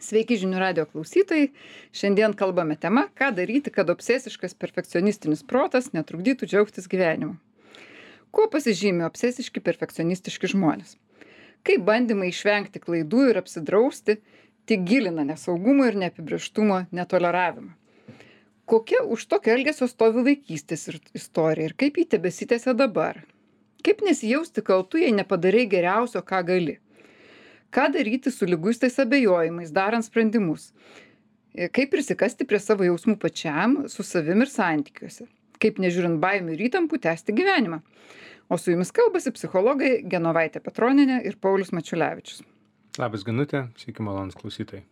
Sveiki žinių radio klausytojai. Šiandien kalbame tema, ką daryti, kad obsesiškas perfekcionistinis protas netrukdytų džiaugtis gyvenimu. Kuo pasižymi obsesiški perfekcionistiški žmonės? Kaip bandymai išvengti klaidų ir apsidrausti, tik gilina nesaugumo ir neapibrėžtumo netoleravimą. Kokia už tokio elgesio stovi vaikystės istorija ir kaip jį tebesitęsia dabar? Kaip nesijausti kaltu, jei nepadarai geriausio, ką gali? Ką daryti su liguistais abejojimais, darant sprendimus? Kaip prisikasti prie savo jausmų pačiam, su savim ir santykiuose? Kaip nežiūrint baimių ir įtampų tęsti gyvenimą? O su jumis kalbasi psichologai Genovaitė Petronienė ir Paulius Mačiulevičius. Labas, Genutė, sveiki malonūs klausytojai.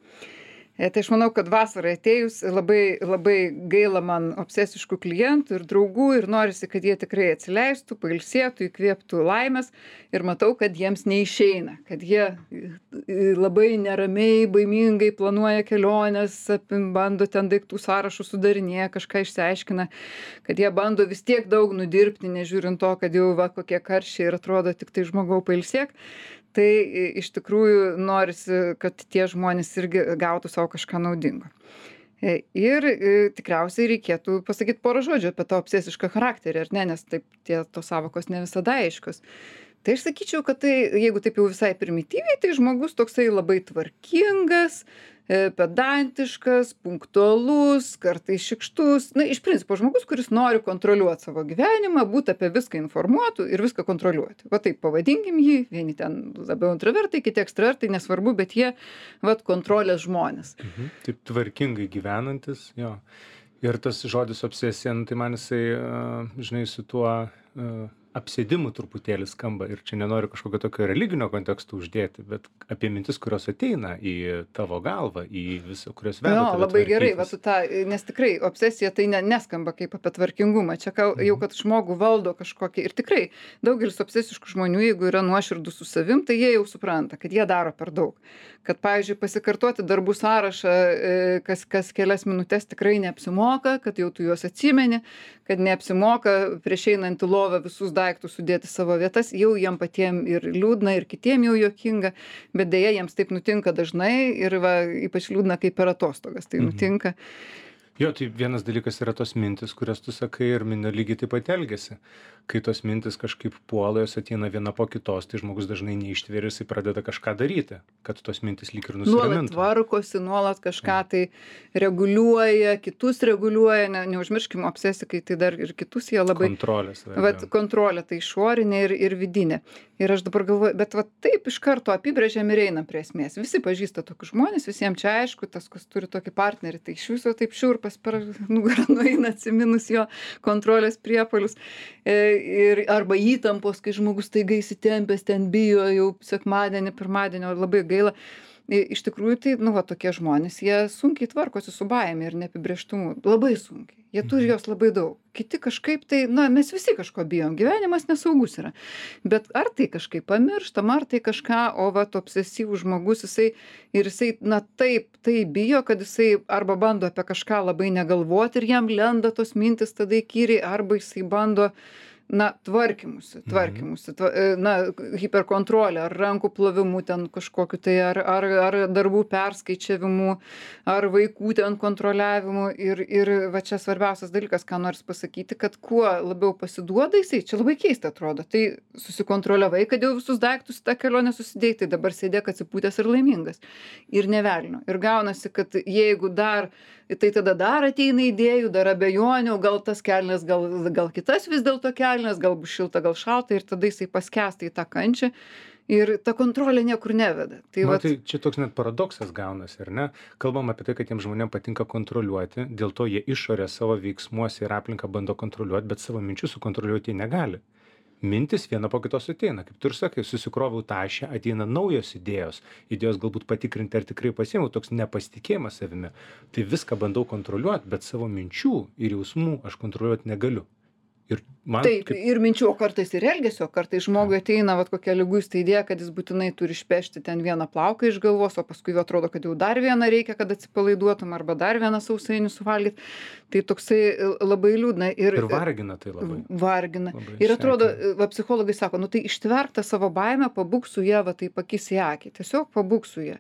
Tai aš manau, kad vasarai atėjus labai gaila man obsesiškų klientų ir draugų ir norisi, kad jie tikrai atsileistų, pailsėtų, įkvėptų laimės ir matau, kad jiems neišeina, kad jie labai neramiai, baimingai planuoja keliones, bando ten daiktų sąrašų sudarinėja, kažką išsiaiškina, kad jie bando vis tiek daug nudirbti, nežiūrint to, kad jau kokie karščiai ir atrodo tik tai žmogau pailsėk. Tai iš tikrųjų norisi, kad tie žmonės irgi gautų savo kažką naudingo. Ir tikriausiai reikėtų pasakyti porą žodžių apie tą obsesišką charakterį, ar ne, nes taip tos sąvokos ne visada aiškios. Tai aš sakyčiau, kad tai, jeigu taip jau visai primityviai, tai žmogus toksai labai tvarkingas, pedantiškas, punktualus, kartais šykštus. Na, iš principo žmogus, kuris nori kontroliuoti savo gyvenimą, būti apie viską informuotų ir viską kontroliuoti. Va taip pavadinkim jį, vieni ten labiau introvertai, kiti ekstravertai, nesvarbu, bet jie, kontrolės žmonės. Taip tvarkingai gyvenantis, jo. Ir tas žodis obsesija, tai man jisai, žinai, su tuo apsėdimu truputėlį skamba ir čia nenoriu kažkokio tokio religinio konteksto uždėti, bet apie mintis, kurios ateina į tavo galvą, į visą, kurios veda tave labai gerai, tvarkytis. Nes tikrai obsesija tai neskamba kaip apie tvarkingumą, čia jau kad žmogų valdo kažkokį ir tikrai daugelis obsesiškų žmonių, jeigu yra nuoširdus su savim, tai jie jau supranta, kad jie daro per daug. Kad, pavyzdžiui, pasikartoti darbų sąrašą kas kelias minutės tikrai neapsimoka, kad jau tu juos atsimeni, kad neapsimoka prieš einant į lovą visus daiktus sudėti savo vietas, jau jiem patiem ir liūdna, ir kitiem jau juokinga, bet deja jiems taip nutinka dažnai ir ypač liūdna, kai per atostogas tai nutinka. Jo, tai vienas dalykas yra tos mintis, kurias tu sakai ir minio lygiai taip pat elgiasi. Kai tos mintis kažkaip puola, jos ateina viena po kitos, tai žmogus dažnai neištveria, jisai pradeda kažką daryti, kad tos mintis lyg ir nusiramintų. Nuolat tvarkosi, nuolat kažką tai reguliuoja, kitus reguliuoja, neužmirškime obsesikai, tai dar ir kitus jie labai... Kontrolės. Kontrolė tai išorinė ir vidinė. Ir aš dabar galvoju, bet taip iš karto apibrėžiam ir einam prie esmės. Visi pažįsta tokius žmonės, visiems čia aišku, tas, kas turi tokį partnerį, tai iš viso taip šiurpas per nugarą nueina atsiminus jo kontrolės priepuolius. Arba įtampos, kai žmogus staiga įsitempęs, ten bijo jau sekmadienį, pirmadienį, labai gaila. Iš tikrųjų, tai, tokie žmonės, jie sunkiai tvarkosi su baime ir neapibrėžtumu. Labai sunkiai. Jie turi jos labai daug. Kiti kažkaip tai, mes visi kažko bijom. Gyvenimas nesaugus yra. Bet ar tai kažkaip pamirštam, ar tai kažką, obsesyvus žmogus, jisai taip bijo, kad jisai arba bando apie kažką labai negalvoti ir jam lenda tos mintis tada įkyriai, arba jisai bando tvarkymusi, hiperkontrolė, ar rankų plovimu ten kažkokiu tai, ar darbų perskaičiavimu, ar vaikų ten kontroliavimu. Ir va čia svarbiausias dalykas, ką noriu pasakyti, kad kuo labiau pasiduoda jisai, čia labai keista atrodo, tai susikontroliavai, kad jau visus daiktus tą kelionę susidėjai, tai dabar sėdėk atsipūtęs ir laimingas. Ir nevelnio. Ir gaunasi, kad jeigu tai tada dar ateina idėjų, dar abejonių, gal tas kelnes, gal kitas vis dėlto kelnes, gal bus šilta, gal šalta ir tada jisai paskęsta į tą kančią ir ta kontrolė niekur neveda. Tai čia toks net paradoksas gaunasi, ar ne? Kalbam apie tai, kad tiem žmonėm patinka kontroliuoti, dėl to jie išorę savo veiksmuose ir aplinką bando kontroliuoti, bet savo minčių sukontroliuoti jie negali. Mintis viena po kitos ateina, kaip tu ir sakai, susikroviau tašę, ateina naujos idėjos galbūt patikrinti, ar tikrai pasiėmiau, toks nepasitikėjimas savimi. Tai viską bandau kontroliuoti, bet savo minčių ir jausmų aš kontroliuoti negaliu. Ir Man Taip, kaip ir minčių, o kartais ir elgesio, kartais žmogui ateina vat kokia liguista idėja, kad jis būtinai turi išpešti ten vieną plauką iš galvos, o paskui jau atrodo, kad jau dar vieną reikia, kad atsipalaiduotum, arba dar vieną sausainį suvalgyt. Tai toksai labai liūdna ir ir vargina tai labai, vargina. labai Ir atrodo, sekina. va psichologai sako, nu tai ištverk tą savo baimę, pabūk su ja, va taip akis į akį, tiesiog pabūk su ja.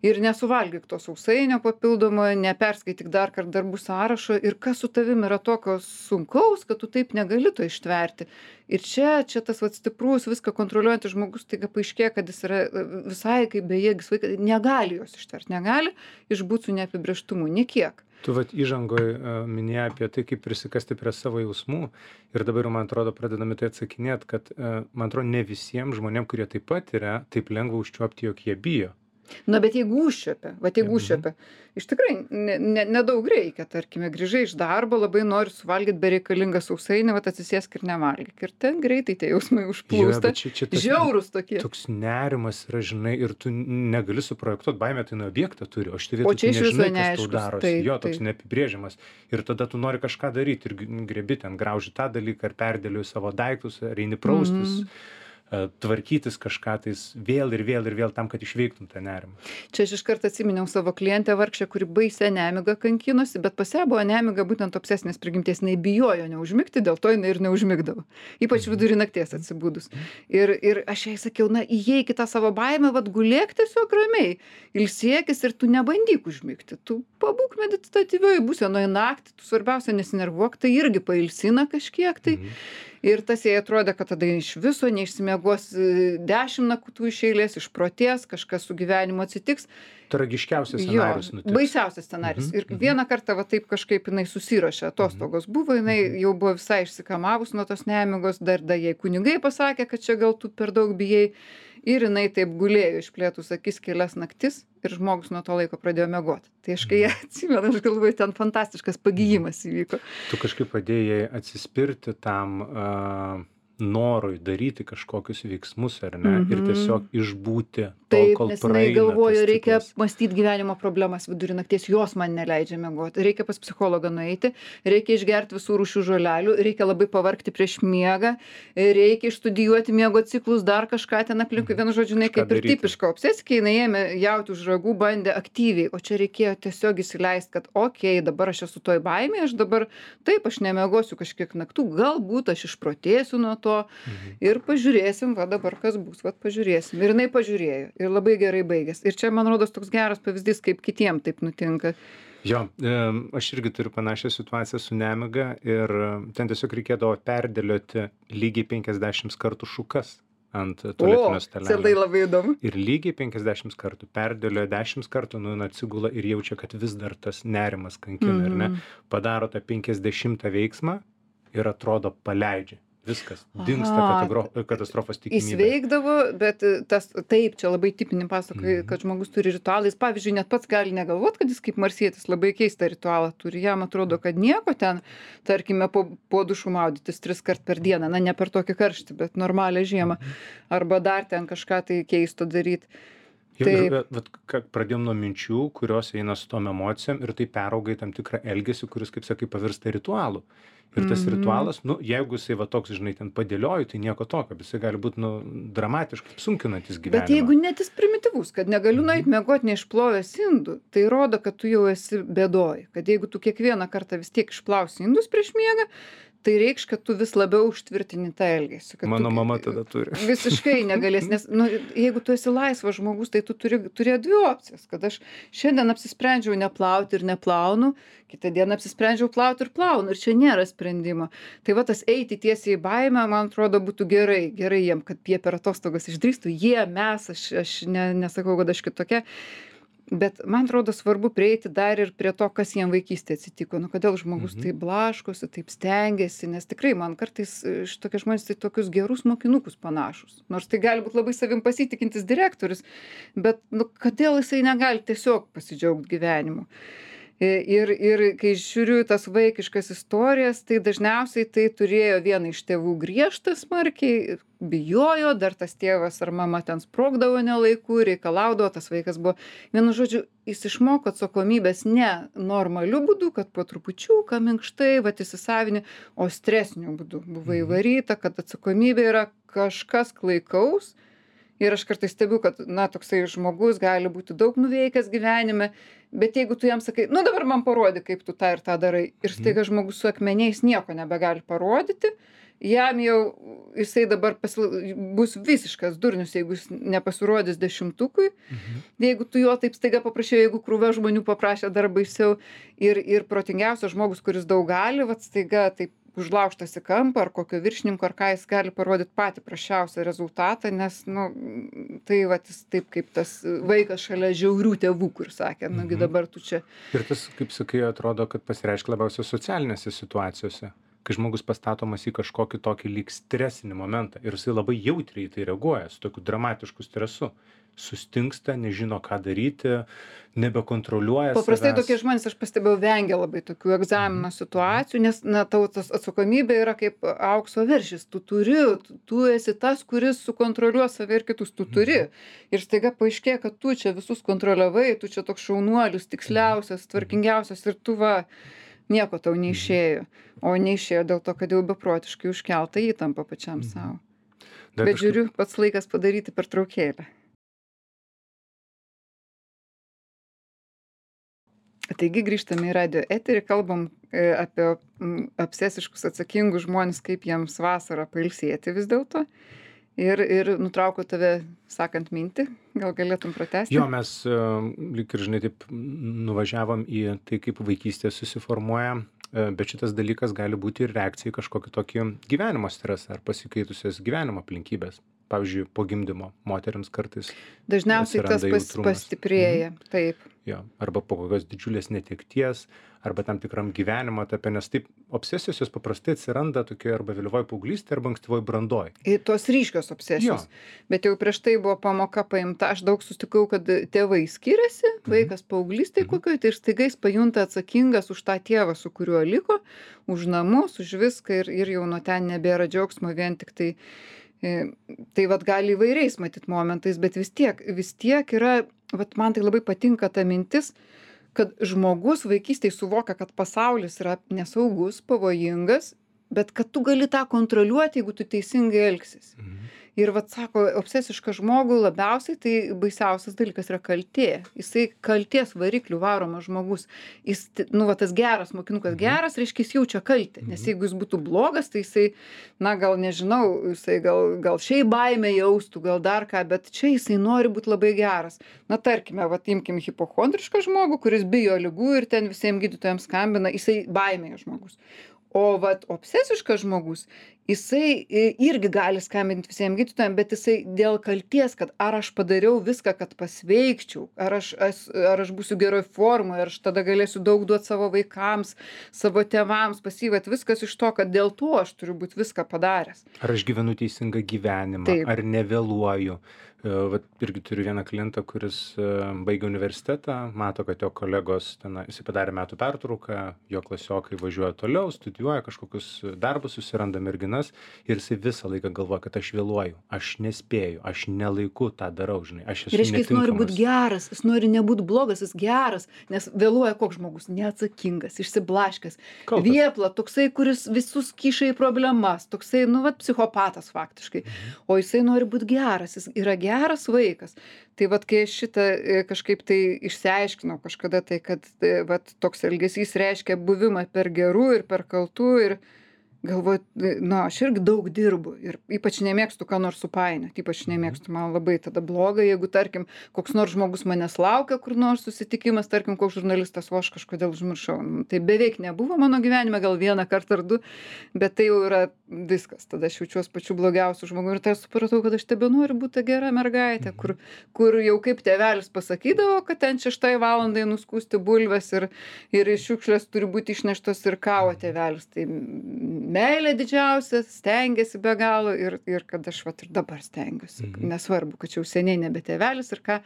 Ir nesuvalgyk to sausainio papildomo, neperskaityk dar kart darbų sąrašo ir kas su tavim yra tokio sunkaus, kad tu taip negali to ištverti. Ir čia tas vat stiprus, viską kontroliuojantis žmogus, taiga paaiškėja, kad jis yra visai kaip bejėgis vaikas, negali jos ištverti, negali išbūt su neapibrėžtumu, niekiek. Tu vat įžangoj minėjai apie tai, kaip prisikasti prie savo jausmų ir dabar, man atrodo, pradedami tai atsakinėt, kad, man atrodo, ne visiems žmonėm, kurie taip pat yra, taip lengva užčiuopti, jog jie bijo. Na, bet jeigu užčiuopia, iš tikrai nedaug reikia, tarkime, grįžai iš darbo, labai nori suvalgyti bereikalingą sausainį, vat atsisėsk ir nevalgyk. Ir ten greitai tie jausmai užplūsta. Čia Žiaurūs tokie. toks nerimas yra, žinai, ir tu negali suprojektuot, baimė tai nuo objektą turi, o šitoj O vietoj čia tu iš viso nežinai, kas tau neaiškus, darosi. taip, Jo, toks taip. neapibrėžiamas. Ir tada tu nori kažką daryti ir grebi ten, grauži tą dalyką, ar perdėliuji savo daiktus, ar eini praustis, tvarkytis kažką tais vėl ir vėl ir vėl tam, kad išveiktum tą nerimą. Čia aš iškart atsiminiau savo klientę vargšę, kuri baisią nemigą kankinosi, bet pas ją buvo nemiga būtent obsesinės prigimties, jinai bijojo neužmigti, dėl to jinai ir neužmigdavo. Ypač vidury nakties atsibudus. Ir aš jai sakiau, na, įeik į tą savo baimę, vat gulėk tiesiog ramiai, ilsėkis ir tu nebandyk užmigti. Tu pabūk meditatyvioj būsenoje naktį, tu svarbiausia nesinervuok, tai irgi pailsina kažkiek tai. Ir tas jai atrodė, kad tada iš viso neišsimiegos 10 naktų iš eilės, išprotės, kažkas su gyvenimu atsitiks. Tragiškiausias Jo, scenarius nutiks. baisiausias scenarijus. Ir vieną kartą va taip kažkaip jinai susiruošė, atostogos buvo, jinai jau buvo visai išsikamavus nuo tos nemigos, dar jai kunigai pasakė, kad čia gal tu per daug bijai. Ir jinai taip gulėjo išplėtus akis kelias naktis ir žmogus nuo to laiko pradėjo miegoti. Tai aš kai ją atsimenu, aš galvoju, ten fantastiškas pagijimas įvyko. Tu kažkaip padėjai atsispirti tam norui daryti kažkokius veiksmus, ar ne? Ir tiesiog išbūti tol, Taip, kol nes jinai praeina galvojo, tas reikia ciklas. mąstyti gyvenimo problemas vidury nakties, jos man neleidžia miegoti. Reikia pas psichologą nueiti, reikia išgerti visų rūšių žolelių, reikia labai pavargti prieš miegą, reikia išstudijuoti miego ciklus, dar kažką ten aplinkui. Vienu žodžiu, jinai Kažką kaip ir daryti. tipiška obsesija, jinai ėmė jauti už ragų, bandė aktyviai, o čia reikėjo tiesiog įsileisti, kad okei, dabar aš esu toj baimėje, aš dabar taip, aš nemiegosiu kažkiek naktų, galbūt aš išprotėsiu nuo to ir pažiūrėsim, va dabar kas bus, va pažiūrėsim. Ir jinai pažiūrėjo ir labai gerai baigės. Ir čia, man rodos, toks geras pavyzdys, kaip kitiem taip nutinka. Jo, aš irgi turiu panašią situaciją su nemiga ir ten tiesiog reikėdavo perdėlioti lygiai 50 kartų šukas ant O, tualetinio čia tai stalelio. labai įdomu. Ir lygiai 50 kartų perdėlioja 10 kartų, nu, atsigula ir jaučia, kad vis dar tas nerimas kankina, ar ne? Padaro tą 50 veiksmą ir atrodo paleidžia. Viskas. Dingsta katastrofos tikimybė. Įsveikdavo, bet tas taip, čia labai tipinį pasakoja, kad žmogus turi ritualą. Jis, pavyzdžiui, net pats gali negalvot, kad jis kaip marsietis labai keistą ritualą turi. Jam atrodo, kad nieko ten, tarkime, po dušu maudytis 3 kart per dieną, na, ne per tokį karštį, bet normalią žiemą. Arba dar ten kažką tai keisto daryti. Jo, ir pradėjom nuo minčių, kurios eina su tom emocijom ir tai perauga į tam tikrą elgesį, kuris, kaip sakai, pavirsta ritualu. Ir tas ritualas, nu, jeigu jisai va toks, žinai, ten padėlioju, tai nieko tokio, bet jisai gali būti, nu, dramatiškai sunkinantis gyvenimą. Bet jeigu net jis primityvus, kad negaliu nueit miegot neišplovęs indų, tai rodo, kad tu jau esi bėdoj. Kad jeigu tu kiekvieną kartą vis tiek išplausi indus prieš miegą, tai reikš, kad tu vis labiau užtvirtini tą elgesį. Mano mama tada turi. Visiškai negalės, nes nu, jeigu tu esi laisvas žmogus, tai tu turi 2 opcijas. Kad aš šiandien apsisprendžiau neplauti ir neplaunu, kitą dieną apsisprendžiau plauti ir plaunu. Ir čia nėra sprendimo. Tai va tas eiti tiesiai į baimę, man atrodo, būtų gerai. Gerai jiem, kad jie per atostogas išdrįstų. Mes, aš nesakau, kad aš kitokia. Bet man atrodo svarbu prieiti dar ir prie to, kas jiem vaikystėje atsitiko. Nu, kodėl žmogus taip blaškosi, taip stengiasi, nes tikrai man kartais šitokie žmonės tai tokius gerus mokinukus panašus. Nors tai gali būti labai savim pasitikintis direktorius, bet nu, kodėl jisai negali tiesiog pasidžiaugti gyvenimu. Ir kai žiūriu į tas vaikiškas istorijas, tai dažniausiai tai turėjo vieną iš tėvų griežtą smarkiai, bijojo, dar tas tėvas ar mama ten sprogdavo ne laiku, reikalaudavo, tas vaikas buvo. Vienu žodžiu, jis išmoko atsakomybės ne normaliu būdu, kad po trupučiuką minkštai, vat įsisavini, o stresiniu būdu. Buvo įvaryta, kad atsakomybė yra kažkas klaikaus. Ir aš kartais stebiu, kad, na, toksai žmogus gali būti daug nuveikęs gyvenime, bet jeigu tu jam sakai, nu dabar man parodyk, kaip tu tą ir tą darai, ir staiga žmogus su akmeniais nieko nebegali parodyti, jam jau jisai dabar bus visiškas durnius, jeigu jis nepasirodys 10-ukui, jeigu tu jo taip staiga paprašė, jeigu krūva žmonių paprašė, dar baisiau. Ir protingiausias žmogus, kuris daug gali, vat staiga taip užlaužtas į kampą ar kokio viršininko, ar ką jis gali parodyti patį prasčiausią rezultatą, nes, nu, tai vat jis taip kaip tas vaikas šalia žiaurių tėvų, kur sakė, nugi dabar tu čia. Ir tas, kaip sakai, atrodo, kad pasireiškia labiausiai socialinėse situacijose, kai žmogus pastatomas į kažkokį tokį lyg stresinį momentą ir jisai labai jautriai į tai reaguoja, su tokiu dramatišku stresu. Sustingsta, nežino, ką daryti, nebekontroliuoja savęs. Paprastai tokie žmonės, aš pastebėjau, vengia labai tokių egzamino situacijų, nes, na, tavo tas atsakomybė yra kaip aukso veršis. Tu esi tas, kuris sukontroliuos save ir kitus, tu turi. Ir staiga paaiškėja, kad tu čia visus kontroliavai, tu čia toks šaunuolis, tiksliausias, tvarkingiausias ir tu va, nieko tau neišėjo. O neišėjo dėl to, kad jau beprotiškai užkelta įtampa pačiam savo. Bet žiūriu, pats laikas padaryti pertraukėlę. Taigi grįžtame į radijo eterį, kalbam apie obsesiškus atsakingus žmonės, kaip jiems vasarą pailsėti vis dėlto. Ir nutraukiau tave sakant mintį, gal galėtum pratęsti? Jo, mes lyg ir, žinai, taip nuvažiavom į tai, kaip vaikystė susiformuoja, bet šitas dalykas gali būti ir reakcija į kažkokį tokį gyvenimo stresą ar pasikeitusias gyvenimo aplinkybės. Pavyzdžiui, po gimdymo moteriams kartais dažniausiai tas pastiprėja, taip. Jo, arba po kokios didžiulės netekties, arba tam tikram gyvenimo etape, nes taip obsesijos jos paprastai atsiranda tokia arba vėlyvoj paauglystėje, arba ankstyvoj brandoj. Ir tos ryškios obsesijos. Bet jau prieš tai buvo pamoka paimta, aš daug susitikau, kad tėvai skiriasi, vaikas paauglystėje kokioje, tai ir staiga jis pajunta atsakingas už tą tėvą, su kuriuo liko, už namus, už viską ir jau nuo ten nebėra džiaugsmo, vien tik tai. Tai vat gali įvairiais matyt momentais, bet vis tiek yra, vat man tai labai patinka ta mintis, kad žmogus vaikystėje suvokia, kad pasaulis yra nesaugus, pavojingas, bet kad tu gali tą kontroliuoti, jeigu tu teisingai elgsis. Ir vat sako, obsesišką žmogų labiausiai tai baisiausias dalykas yra kaltė. Jisai kaltės variklių varomas žmogus. Jis, nu, va, tas geras mokinukas geras, reiškia, jis jaučia kaltę. Nes jeigu jis būtų blogas, tai jisai, na, gal nežinau, jisai gal šiaip baimę jaustų, gal dar ką, bet čia jisai nori būti labai geras. Na, tarkime, va, imkim hipochondrišką žmogų, kuris bijo ligų ir ten visiems gydytojams skambina, jisai baimėje žmogus. O vat obsesiškas žmogus, jisai irgi gali skambinti visiems gydytojams, bet jisai dėl kalties, kad ar aš padariau viską, kad pasveikčiau, ar aš būsiu geroj formoje, ar aš tada galėsiu daug duoti savo vaikams, savo tėvams, pasivat viskas iš to, kad dėl to aš turiu būti viską padaręs. Ar aš gyvenu teisingą gyvenimą, taip. Ar nevėluoju. Vat irgi turiu vieną klientą, kuris baigė universitetą, mato, kad jo kolegos ten, jis padarė metų pertrauką, jo klasiokai važiuoja toliau, studijuoja kažkokius darbus, susiranda merginas ir jisai visą laiką galvoja, kad aš vėluoju, aš nespėju, aš nelaiku tą darau, žinai, aš esu netinkamas. Reiškia, jis nori būti geras, jis nori nebūti blogas, jis geras, nes vėluoja koks žmogus, neatsakingas, išsiblaškęs, viepla, toksai, kuris visus kiša į problemas, toksai, nu, vat, psichopatas faktiškai, o jisai nori būti geras, jis yra geras vaikas. Tai vat, kai aš šitą kažkaip tai išsiaiškinau kažkada, tai kad vat, toks elgesys reiškia buvimą per gerų ir per kaltų ir galvoju, na, aš irgi daug dirbu ir ypač nemėgstu ką nors supainioti, ypač nemėgstu, man labai tada bloga, jeigu, tarkim, koks nors žmogus manęs laukia, kur nors susitikimas, tarkim, koks žurnalistas, o aš kažkodėl užmiršau. Tai beveik nebuvo mano gyvenime, gal vieną kartą ar du, bet tai jau yra viskas. Tada aš jaučiuosi pačiu blogiausiu žmogu ir tai supratau, kad aš tebenoriu būti gera mergaitė, kur jau kaip tėvelis pasakydavo, kad ten 6 valandai nuskūsti bulves ir iš šiukšlės turi būti išneštos ir kavo tėvelis. Tai meilė didžiausia, stengiasi be galo ir kad aš vat ir dabar stengiuosi. Nesvarbu, kad čia jau seniai nebe tėvelis ir ką,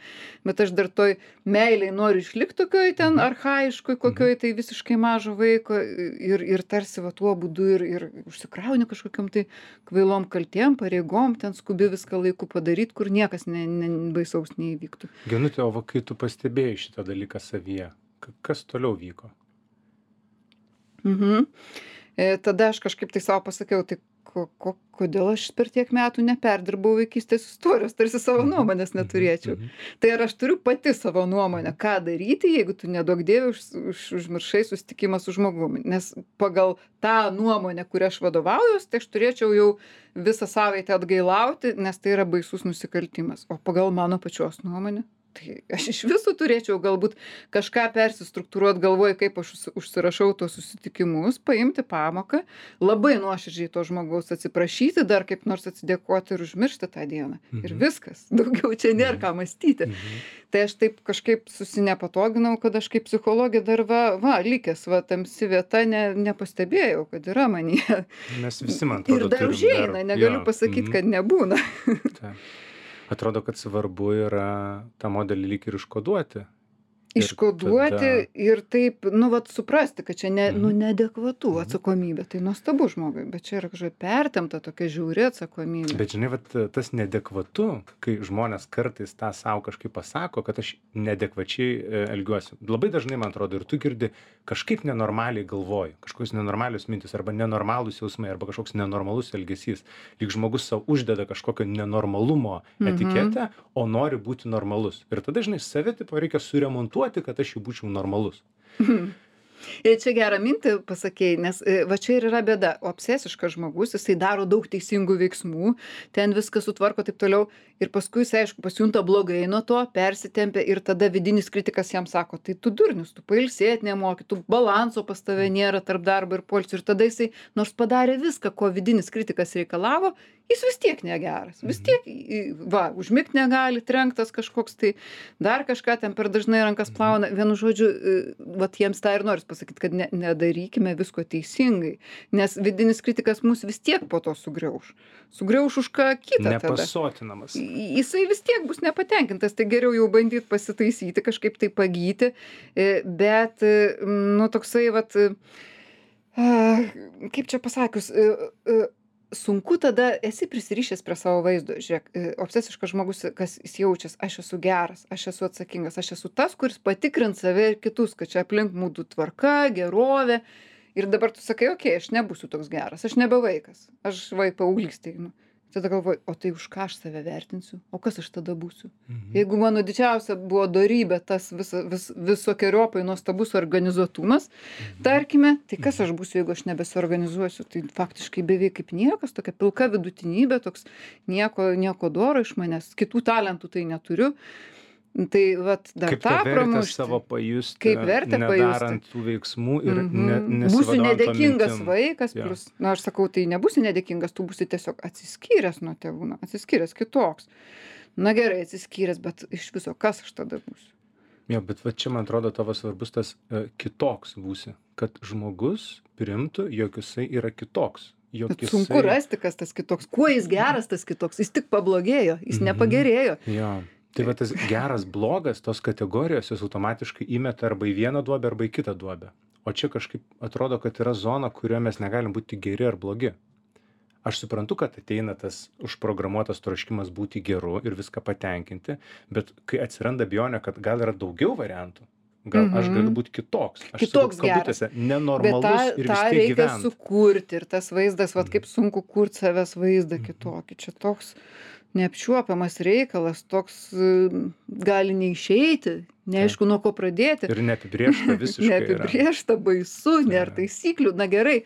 bet aš dar toj meiliai noriu išlikti tokioj ten archaiškoj, kokioj tai visiškai mažo vaiko ir tarsi va tuo būdu ir užsikrauni kažkokiom tai kvailom kaltėm, pareigom, ten skubi viską laiku padaryti, kur niekas baisaus neįvyktų. Genutė, o va, kai tu pastebėjai šitą dalyką savyje, kas toliau vyko? Tada aš kažkaip tai savo pasakiau, tai kodėl aš per tiek metų neperdirbau vaikystės istorijos, tarsi savo nuomonės neturėčiau. Tai ar aš turiu pati savo nuomonę, ką daryti, jeigu tu neduok dievė užmiršai susitikimą su žmogumi. Nes pagal tą nuomonę, kurią aš vadovaujuos, tai aš turėčiau jau visą savaitę atgailauti, nes tai yra baisus nusikaltimas. O pagal mano pačios nuomonę, tai aš iš viso turėčiau galbūt kažką persistruktūruot galvoj, kaip aš užsirašau tuos susitikimus, paimti pamoką, labai nuoširdžiai to žmogaus atsiprašyti, dar kaip nors atsidėkoti ir užmiršti tą dieną. Ir viskas. Daugiau čia nėra ką mąstyti. Tai aš taip kažkaip susinepatoginau, kad aš kaip psichologė dar likęs, tamsi vieta, nepastebėjau, kad yra manyje. Mes visi, man atrodo, ir dar užeina, negaliu pasakyti, kad nebūna. Atrodo, kad svarbu yra tą modelį lyg ir iškoduoti. Iškoduoti ir taip, suprasti, kad čia neadekvatu atsakomybė. Tai nuostabu žmogui, bet čia yra kažkokia pertempta tokia žiauri atsakomybė. Bet žinai, tas neadekvatu, kai žmonės kartais tą savo kažkaip pasako, kad aš neadekvačiai elgiuosi. Labai dažnai, man atrodo, ir tu girdi, kažkaip nenormaliai galvoju, kažkokios nenormalios mintis, arba nenormalūs jausmai, arba kažkoks nenormalus elgesys. Lyg žmogus savo uždeda kažkokio nenormalumo etiketę, o nori būti normalus. Ir tada, žinai, save tipo reikia suremontuoti, kad aš jau būčiau normalus. Ir čia gerą mintį pasakėjai, nes va čia ir yra bėda. Obsesiškas žmogus, jisai daro daug teisingų veiksmų, ten viską sutvarko taip toliau ir paskui jisai, aišku, pasijunta blogai nuo to, persitempia ir tada vidinis kritikas jam sako, tai tu durnius, tu pailsėt nemoki, tu balanso pas tave nėra tarp darbo ir poilsio. Ir tada jisai, nors padarė viską, ko vidinis kritikas reikalavo, jis vis tiek negeras. Vis tiek, užmigt negali, trenktas kažkoks, tai dar kažką ten per dažnai rankas plauna. Vienu žodžiu, jiems tą ir noris pasakyti, kad nedarykime visko teisingai, nes vidinis kritikas mus vis tiek po to sugriauš. Sugriauš už ką kitą tada. Nepasotinamas. Jisai vis tiek bus nepatenkintas, tai geriau jau bandyti pasitaisyti, kažkaip tai pagyti, bet, toksai, kaip čia pasakius, sunku tada esi prisirišęs prie savo vaizdo. Žiūrėk, obsesiškas žmogus, kas jis jaučias, aš esu geras, aš esu atsakingas, aš esu tas, kuris patikrins save ir kitus, kad čia aplink mūsų tvarka, gerovė. Ir dabar tu sakai, aš nebūsiu toks geras, aš nebe vaikas, aš paauglystėj einu. Tada galvoju, o tai už ką aš save vertinsiu, o kas aš tada būsiu? Jeigu mano didžiausia buvo dorybė tas visokiojopai nuostabus organizuotumas, tarkime, tai kas aš būsiu, jeigu aš nebesuorganizuosiu? Tai faktiškai beveik kaip niekas, tokia pilka vidutinybė, toks nieko doro iš manęs, kitų talentų tai neturiu. Tai dar kaip tą pramušti. Savo pajusti, kaip vertę nedarant tų veiksmų ir būsiu nedėkingas mintim. vaikas, plus, aš sakau, tai nebūsi nedėkingas, tu būsi tiesiog atsiskyręs nuo tėvų, atsiskyręs kitoks. Na gerai, atsiskyręs, bet iš viso, kas aš tada būsiu? Jo, bet čia, man atrodo, tavo svarbus tas kitoks būsi, kad žmogus primtų, jog jisai yra kitoks. Sunku rasti, kas tas kitoks. Kuo jis geras, tas kitoks? Jis tik pablogėjo, jis nepagerėjo. Jo. Tai tas geras, blogas, tos kategorijos jos automatiškai įmeta arba į vieną duobę, arba į kitą duobę. O čia kažkaip atrodo, kad yra zona, kurioje mes negalim būti geri ar blogi. Aš suprantu, kad ateina tas užprogramuotas troškimas būti geru ir viską patenkinti, bet kai atsiranda abejonė, kad gal yra daugiau variantų, gal aš galiu būti kitoks. Aš kitoks geras. Nenormalus ir vis tiek gyvent. Bet tą reikia sukurti ir tas vaizdas, kaip sunku kurti savęs vaizdą kitokį. Čia toks neapčiuopiamas reikalas, toks gali neišeiti, neaišku, nuo ko pradėti. Ir neapibrėžta visiškai. Neapibrėžta, baisu, nėra taisyklių. Na gerai,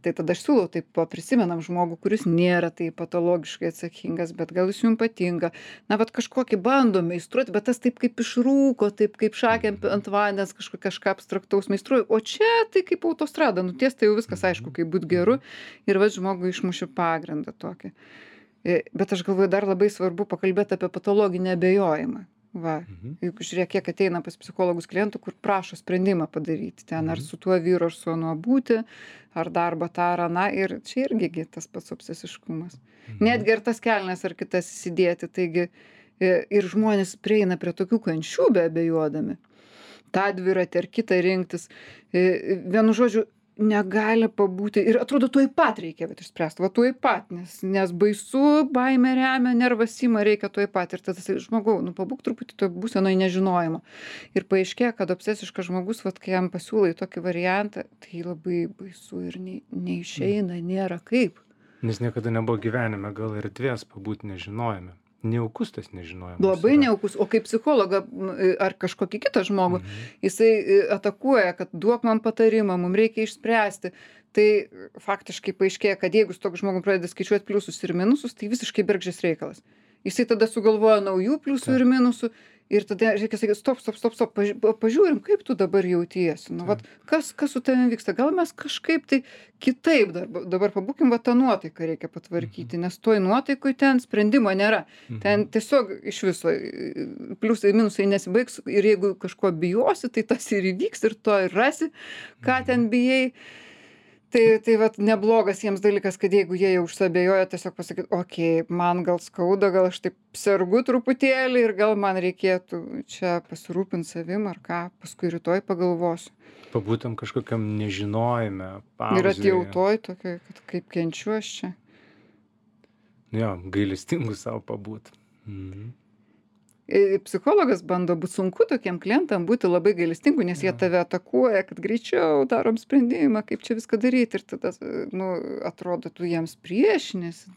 tai tada aš siūlau taip prisimenam žmogų, kuris nėra taip patologiškai atsakingas, bet gal jis jums patinka. Kažkokį bandom meistruoti, bet tas taip kaip išrūko, taip kaip šakėm ant vandens kažką abstraktaus meistruoju. O čia tai kaip autostrada, nuties tai jau viskas aišku, kaip būt geru. Ir žmogui išmušiu pagrindą tokį. Bet aš galvoju, dar labai svarbu pakalbėti apie patologinį abejojimą. Va, Mhm. juk žiūrėk, kiek ateina pas psichologus klientų, kur prašo sprendimą padaryti ten, ar Mhm. su tuo vyru, ar su anuo būti, ar darbą tą ar aną, ir čia irgi gi tas pats obsesiškumas. Mhm. Netgi ir tas kelnes ar kitas įsidėti, taigi ir žmonės prieina prie tokių kančių beabejodami. Tą dviratį ar kitą rinktis. Vienu žodžiu, negali pabūti ir atrodo tuoj pat reikia vat išspręst, va tuoj pat, nes baisu, baimė remia, nervas ima, reikia tuoj pat. Ir tada sakai, žmogau, nu pabūk truputį toj būsenoj nežinojimo. Ir paaiškėja, kad obsesiškas žmogus, vat kai jam pasiūlai tokį variantą, tai labai baisu ir neišeina, nėra kaip. Nes niekada nebuvo gyvenime gal erdvės pabūt nežinojime. Nejaukus tas nežinojimas Labai yra. nejaukus, o kaip psichologą ar kažkokį kitą žmogų, Mhm. jisai atakuoja, kad duok man patarimą, mum reikia išspręsti. Tai faktiškai paaiškėja, kad jeigu su tokiu žmogum pradedi skaičiuot pliusus ir minusus, tai visiškai bergždžias reikalas. Jisai tada sugalvoja naujų pliusų ir Taip. minusų ir tada reikia sakyti, stop, pažiūrim, kaip tu dabar jautiesi. Nu, vat, kas su tavimi vyksta, gal mes kažkaip tai kitaip dabar pabūkim, va tą nuotaiką reikia patvarkyti, nes toj nuotaikoj ten sprendimo nėra. Ten Mhm. tiesiog iš viso pliusai, minusai nesibaigs ir jeigu kažko bijosi, tai tas ir įvyks ir to ir rasi, ką ten bijai. Tai vat neblogas jiems dalykas, kad jeigu jie jau užsiabejoja, tiesiog pasakyt, okei, man gal skauda, gal aš taip sergu truputėlį ir gal man reikėtų čia pasirūpint savim ar ką, paskui rytoj pagalvosiu. Pabūtum kažkokiam nežinojime, Ir pauzėje. atjautoj tokioj, kad kaip kenčiu aš čia. Jo, gailestingu savo pabūt. Mhm. Psichologas bando būt sunku tokiem klientam būti labai gailestingu, nes jie tave atakuoja, kad greičiau darom sprendimą, kaip čia viską daryti ir tada, nu, atrodo, tu jiems priešinėsi,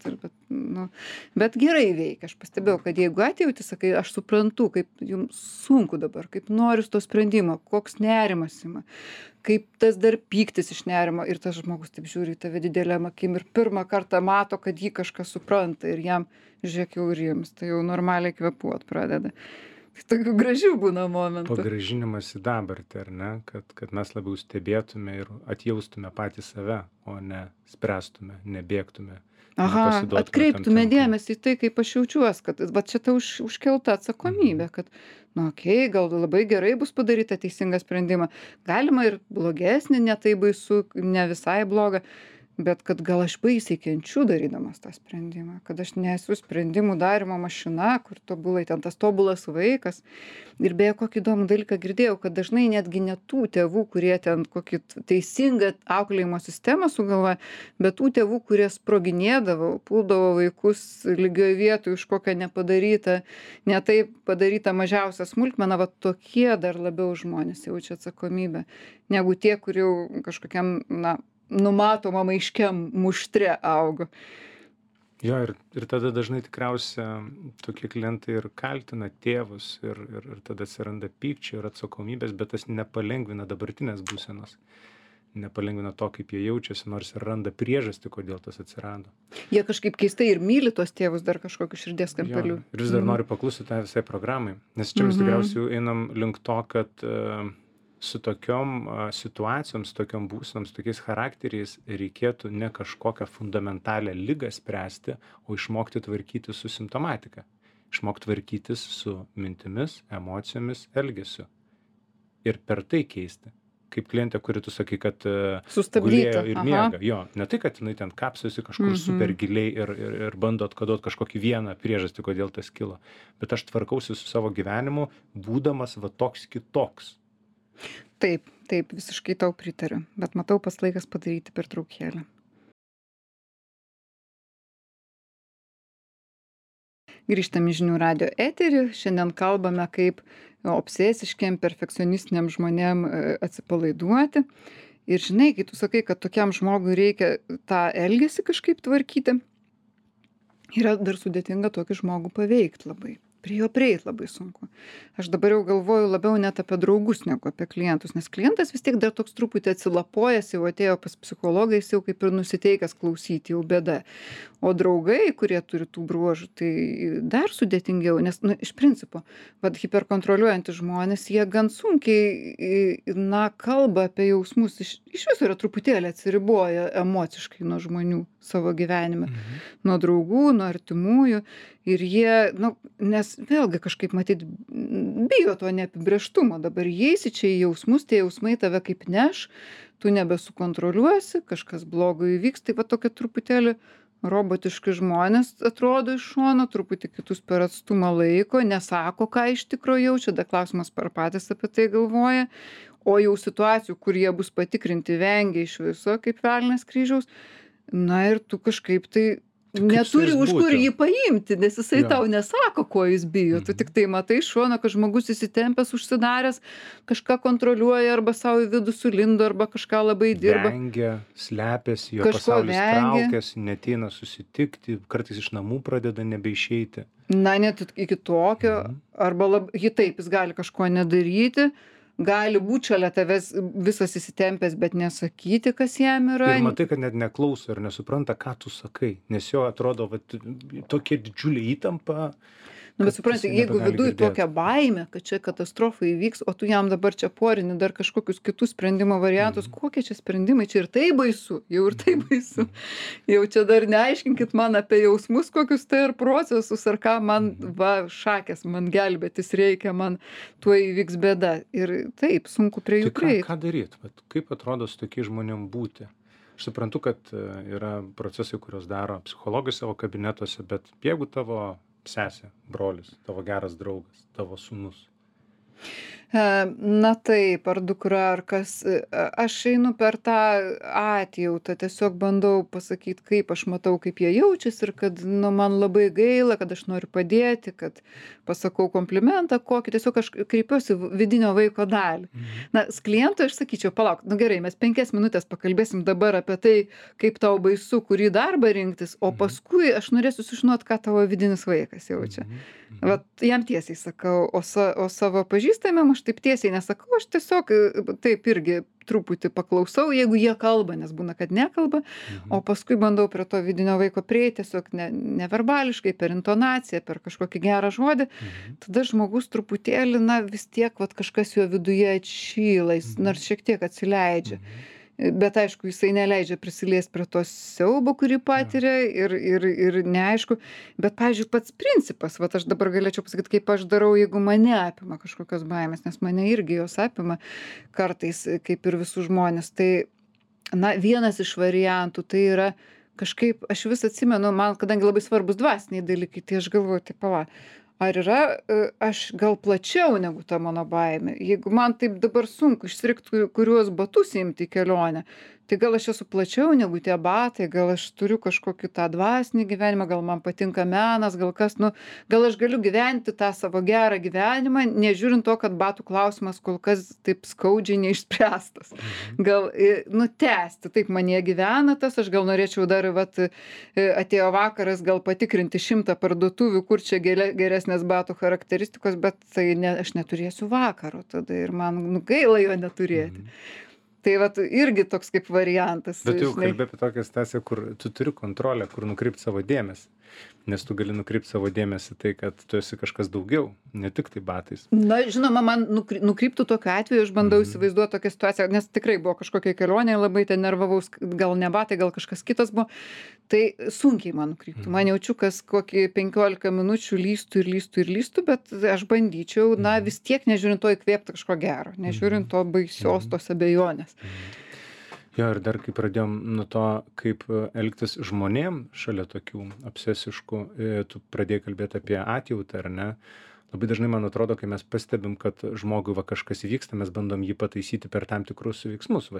bet gerai veikia. Aš pastebėjau, kad jeigu atjauti, sakai, aš suprantu, kaip jums sunku dabar, kaip noriu to sprendimo, koks nerimas ima, kaip tas dar pyktis iš nerimo ir tas žmogus taip žiūri į tave didelėm akim ir pirmą kartą mato, kad jį kažkas supranta ir jam, žiūrėk, jau rimsta, jau normaliai kvėpuot pradeda. Tai tokių gražių būna momentų. Pagrąžinimas į dabartį, ar ne? Kad mes labiau stebėtume ir atjaustume patį save, o ne spręstume, nebėgtume. Aha, nepasiduotume atkreiptume tam tempui. dėmesį į tai, kaip aš jaučiuos, kad va čia ta užkelta atsakomybė, kad, nu okei, gal labai gerai bus padaryta teisingą sprendimą. Galima ir blogesnį, ne tai baisu, ne visai blogą, bet kad gal aš baisiai kenčiu darydamas tą sprendimą, kad aš nesu sprendimų darymo mašina, kur tobulai ten tas tobulas vaikas. Ir beje, kokį įdomų dalyką girdėjau, kad dažnai netgi ne tų tėvų, kurie ten kokį teisingą auklėjimo sistemą sugalvoja, bet tų tėvų, kurie sproginėdavo, puldavo vaikus lygioje vietoje už kokią nepadarytą, ne taip padarytą mažiausią smulkmeną, va tokie dar labiau žmonės jaučia atsakomybę, negu tie, kur jau kažkokiam, na, numatomam aiškiam muštre augo. Jo, ir tada dažnai tikriausia tokie klientai ir kaltina tėvus ir tada atsiranda pykčio ir atsakomybės, bet tas nepalengvina dabartinės būsenos. Nepalengvina to, kaip jie jaučiasi, nors ir randa priežastį, kodėl tas atsirado. Jie kažkaip keistai ir myli tos tėvus dar kažkokiu širdies kampeliu. Jo, ir vis dar noriu paklusti tai visai programai, nes čia mes tikriausiai jau einam link to, kad su tokiom situacijom, su tokiom būsenom, su tokiais charakteriais reikėtų ne kažkokią fundamentalią ligą spręsti, o išmokti tvarkytis su simptomatika. Išmokti tvarkytis su mintimis, emocijomis, elgesiu. Ir per tai keisti. Kaip klientė, kuri tu sakai, kad gulėjo ir miega. Jo, ne tai, kad jinai ten kapsosi kažkur super giliai ir bando atkodot kažkokį vieną priežastį, kodėl tas kilo. Bet aš tvarkausi su savo gyvenimu, būdamas va toks kitoks. Taip, visiškai tau pritariu, bet matau pas laikas padaryti pertraukėlę. Grįžtam į žinių radijo eterį, šiandien kalbame, kaip obsesiškiem, perfekcionistiniam žmonėm atsipalaiduoti. Ir žinai, kai tu sakai, kad tokiam žmogui reikia tą elgesį kažkaip tvarkyti, yra dar sudėtinga tokį žmogų paveikti labai. Prie jo prieit labai sunku. Aš dabar jau galvoju labiau net apie draugus negu apie klientus, nes klientas vis tiek dar toks truputį atsilapojęs, jau atėjo pas psichologą, jis jau kaip ir nusiteikęs klausyti, jau bėda. O draugai, kurie turi tų bruožų, tai dar sudėtingiau, nes, nu, iš principo, vad hiperkontroliuojantys žmonės, jie gan sunkiai, na, kalba apie jausmus, iš viso yra truputėlį atsiriboja emociškai nuo žmonių savo gyvenime, nuo draugų, nuo artimųjų. Ir jie, nu, nes vėlgi kažkaip matyt bijo to neapibrėžtumo. Dabar įeisi čia į jausmus, tie jausmai tave kaip neš, tu nebesukontroliuosi, kažkas blogo įvyks. Tai va tokia truputėlį robotiški žmonės atrodo iš šono, truputį kitus per atstumą laiko, nesako, ką iš tikro jaučia, dar klausimas, ar patys apie tai galvoja. O jau situacijų, kur jie bus patikrinti, vengia iš viso, kaip velnias kryžiaus. Na ir tu kažkaip tai neturi už kur jį paimti, nes jisai tau nesako, ko jis bijo. Tu tik tai matai iš šono, kad žmogus įsitempęs, užsidaręs, kažką kontroliuoja arba savo į vidų sulindo, arba kažką labai dirba. Vengia, slepiasi, jo pasaulis traukiasi, neateina susitikti, kartais iš namų pradeda nebeišeiti. Na, net iki tokio, arba jis gali kažko nedaryti, gali būti šalia tavęs visas įsitempęs, bet nesakyti, kas jam yra. Ir matai, kad net neklauso ir nesupranta, ką tu sakai, nes jo atrodo, vat, tokia didžiulė įtampa. Nu, bet supranti, jeigu viduj tokia baimė, kad čia katastrofa įvyks, o tu jam dabar čia porini dar kažkokius kitus sprendimo variantus, kokie čia sprendimai, čia ir tai baisu, jau ir tai baisu. Jau čia dar neaiškinkit man apie jausmus, kokius tai ir procesus, ar ką man, šakės, man gelbėtis reikia, man tuo įvyks bėda. Ir taip, sunku prie jų prieiti. Ką daryti? Kaip atrodo su tokiais žmonėm būti? Aš suprantu, kad yra procesai, kuriuos daro psichologai savo kabinetuose, bet jeigu tavo sesė, brolis, tavo geras draugas, tavo sūnus. Na taip, ar dukra, ar kas. Aš einu per tą atjautą, tiesiog bandau pasakyti, kaip aš matau, kaip jie jaučiasi ir kad man labai gaila, kad aš noriu padėti, kad pasakau komplimentą kokį, tiesiog aš kreipiuosi vidinio vaiko dalį. Na, su klientu aš sakyčiau, palauk, gerai, mes 5 minutės pakalbėsim dabar apie tai, kaip tau baisu, kurį darbą rinktis, o paskui aš norėsiu sužinoti, ką tavo vidinis vaikas jaučia. Vat jam tiesiai sakau, o savo pažįstamėm aš taip tiesiai nesakau, aš tiesiog taip irgi truputį paklausau, jeigu jie kalba, nes būna, kad nekalba, o paskui bandau prie to vidinio vaiko prieiti, tiesiog neverbališkai, per intonaciją, per kažkokį gerą žodį, tada žmogus truputėlį, na, vis tiek vat, kažkas jo viduje atšyla, jis nors šiek tiek atsileidžia. Bet aišku, jisai neleidžia prisiliesti prie to siaubo, kurį patiria ir neaišku. Bet, pavyzdžiui, pats principas, vat aš dabar galėčiau pasakyti, kaip aš darau, jeigu mane apima kažkokios baimės, nes mane irgi jos apima kartais, kaip ir visus žmonės. Tai, na, vienas iš variantų tai yra kažkaip, aš vis atsimenu, man, kadangi labai svarbus dvasiniai dalykai, tai aš galvoju, tai pala. Ar yra aš gal plačiau negu ta mano baimė? Jeigu man taip dabar sunku išsirinkti, kuriuos batus imti į kelionę, tai gal aš esu plačiau negu tie batai, gal aš turiu kažkokį tą dvasinį gyvenimą, gal man patinka menas, gal kas, nu, gal aš galiu gyventi tą savo gerą gyvenimą, nežiūrint to, kad batų klausimas kol kas taip skaudžiai neišspręstas. Gal, nu, tęsti, taip manie gyvena tas, aš gal norėčiau dar, vat, atėjo vakaras, gal patikrinti 100 parduotuvių, kur čia geresnės batų charakteristikos, bet tai aš neturėsiu vakaro tada ir man gaila jo neturėti. Tai vat irgi toks kaip variantas. Bet jau kalbė apie tokią situaciją, kur tu turi kontrolę, kur nukreipti savo dėmesį. Nes tu gali nukreipti savo dėmesį tai, kad tu esi kažkas daugiau, ne tik tai batais. Na, žinoma, man nukryptų tokiu atveju, aš bandau įsivaizduoti tokią situaciją, nes tikrai buvo kažkokia kelionė, labai ten nervavaus, gal ne batai, gal kažkas kitas buvo. Tai sunkiai man nukryptų. Man jaučiu, kas kokį 15 minučių lystų, bet aš bandyčiau, na, vis tiek nežiūrint to įkvėpti kažko gero, nežiūrint to baisios tos abejonės. Jo, ir dar kai pradėjom nuo to, kaip elgtis žmonėm šalia tokių obsesiškų, tu pradėjai kalbėti apie atjautą, ar ne? Labai dažnai, man atrodo, kai mes pastebim, kad žmogui kažkas įvyksta, mes bandom jį pataisyti per tam tikrus veiksmus.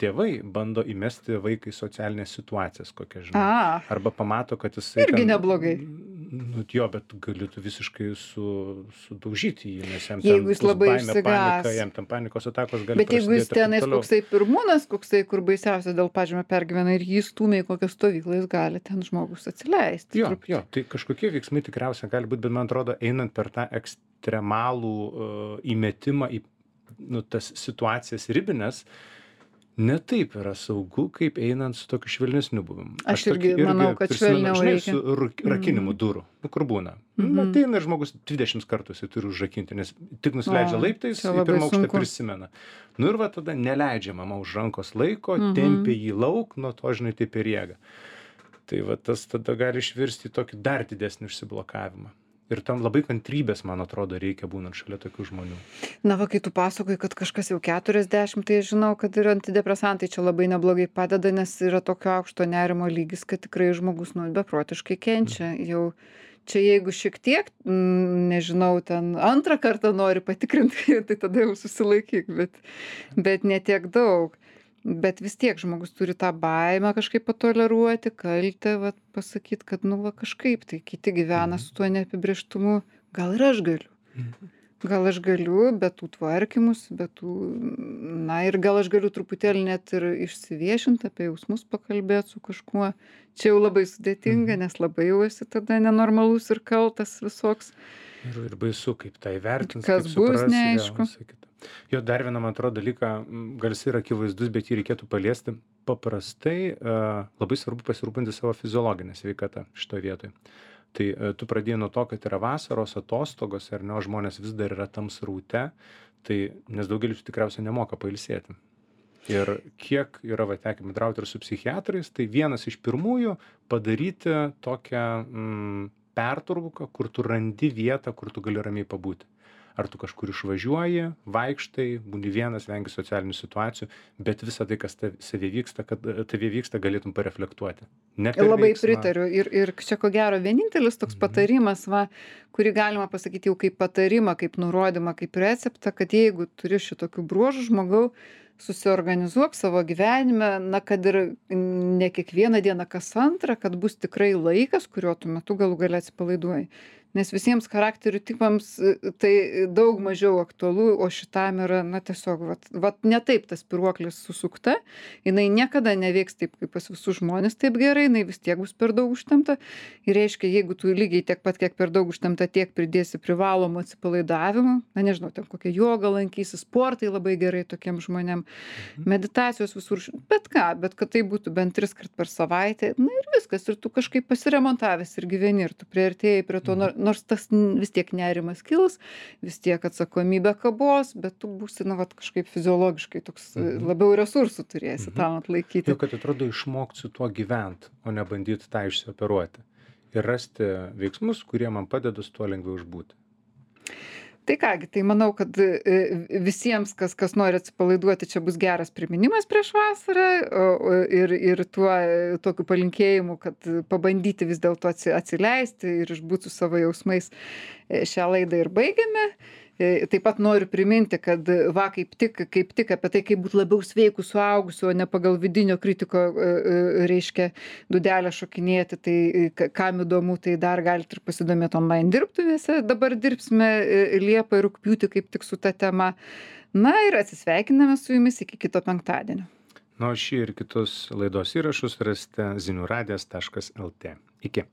Tėvai bando įmesti vaikai socialinės situacijas, kokią žinai. Arba pamato, kad jisai... Irgi neblogai. Nu, jo, bet gali tu visiškai sudaužyti jį, nes jam jeigu jis labai panika, jam tam panikos atakos gali prasidėti. Bet jeigu jis tenais koksai pirmūnas, koksai, kur baisiausia dėl pažymio pergyvena ir jį stūmė į kokią stovyklą, jis gali ten žmogus atsileisti. Jo, tai kažkokie veiksmai tikriausiai gali būti, bet man atrodo, einant per tą ekstremalų įmetimą į tas situacijas ribines, ne taip yra saugu, kaip einant su tokiu švelnesniu buvimu. Aš irgi manau, kad švelniau reikia. Su rakinimu durų, kur būna. Ateina žmogus 20 kartų jisai turi užrakinti, nes tik nusileidžia laiptais, į pirmą aukštą prisimena. Nu ir va tada neleidžia mama už rankos laiko, tempia jį lauk, nuo to žinai taip ir jėga. Tai va tas tada gali išvirsti į tokį dar didesnį užsiblokavimą. Ir tam labai kantrybės, man atrodo, reikia būnant šalia tokių žmonių. Na va, kai tu pasakoji, kad kažkas jau 40, tai aš žinau, kad ir antidepresantai čia labai neblogai padeda, nes yra tokio aukšto nerimo lygis, kad tikrai žmogus, nu, beprotiškai kenčia. Jau čia jeigu šiek tiek, nežinau, ten antrą kartą nori patikrinti, tai tada jau susilaikyk, bet ne tiek daug. Bet vis tiek žmogus turi tą baimę kažkaip patoleruoti, kaltę, vat pasakyt, kad nu va kažkaip tai kiti gyvena su tuo neapibrėžtumu, gal ir aš galiu. Mhm. Gal aš galiu be tų tvarkymus, be tų, na ir gal aš galiu truputėlį net ir išsiviešint, apie jausmus pakalbėt su kažkuo. Čia jau labai sudėtinga, nes labai jau esi tada nenormalus ir kaltas visoks. Ir baisu, kaip tai vertins, Kas kaip bus, supras, neaišku. jo, visa kita. Jo, dar vieną, man atrodo, dalyką, gal jis yra akivaizdus, bet jį reikėtų paliesti. Paprastai labai svarbu pasirūpinti savo fiziologinę sveikatą šitoje vietoje. Tai tu pradėjai nuo to, kad yra vasaros atostogos, ar ne, o žmonės vis dar yra tam sraute, tai nes daugelis tikriausiai nemoka pailsėti. Ir kiek yra va tekę bendrauti ir su psichiatrais, tai vienas iš pirmųjų padaryti tokią pertrauką, kur tu randi vietą, kur tu gali ramiai pabūti. Ar tu kažkur išvažiuoji, vaikštai, būni vienas, vengi socialinių situacijų, bet visą tai, kas tave vyksta, kad tave vyksta, galėtum pareflektuoti. Ne per Labai veiksmą. pritariu. Ir čia ko gero vienintelis toks patarimas, va, kurį galima pasakyti jau kaip patarimą, kaip nurodymą, kaip receptą, kad jeigu turi šitokių bruožų žmogau, susiorganizuok savo gyvenime, na kad ir ne kiekvieną dieną kas antrą, kad bus tikrai laikas, kuriuo tu metu galų gale atsipalaiduoji. Nes visiems charakterių tipams tai daug mažiau aktualu, o šitam yra, na tiesiog, vat ne taip ta spyruoklė susukta, jinai niekada neveiks taip, kaip pas visus žmonės taip gerai, jinai vis tiek bus per daug užtempta. Ir reiškia, jeigu tu lygiai tiek pat, kiek per daug užtempta, tiek pridėsi privalomų atsipalaidavimų, na nežinau, ten kokią jogą lankysi, sportai labai gerai tokiem žmonėm, meditacijos visur, bet ką, bet kad tai būtų bent 3 kart per savaitę, na ir viskas, ir tu kažkaip pasiremontavęs ir gyveni, ir tu priartėjai prie to, nors tas vis tiek nerimas kils, vis tiek atsakomybė kabos, bet tu būsi, na, vat, kažkaip fiziologiškai toks labiau resursų turėsi tam atlaikyti. Jau, kad atrodo išmokti su tuo gyventi, o ne bandyti tą išsioperuoti. Ir rasti veiksmus, kurie man padeda su tuo lengviau išbūti. Tai kągi, tai manau, kad visiems, kas nori atsipalaiduoti, čia bus geras priminimas prieš vasarą ir tuo tokiu palinkėjimu, kad pabandyti vis dėlto atsileisti ir išbūti su savo jausmais. Šią laidą ir baigiame. Taip pat noriu priminti, kad va kaip tik apie tai, kaip būti labiau sveikų suaugusiu, o ne pagal vidinio kritiko, reiškia, dūdelę šokinėti, tai kam įdomu, tai dar galite ir pasidomėti online dirbtuvėse. Dabar dirbsime Liepą ir rugpjūtį kaip tik su ta tema. Na ir atsisveikiname su jumis iki kito penktadienio. Na, o šį ir kitus laidos įrašus rasite ziniuradijas.lt. Iki.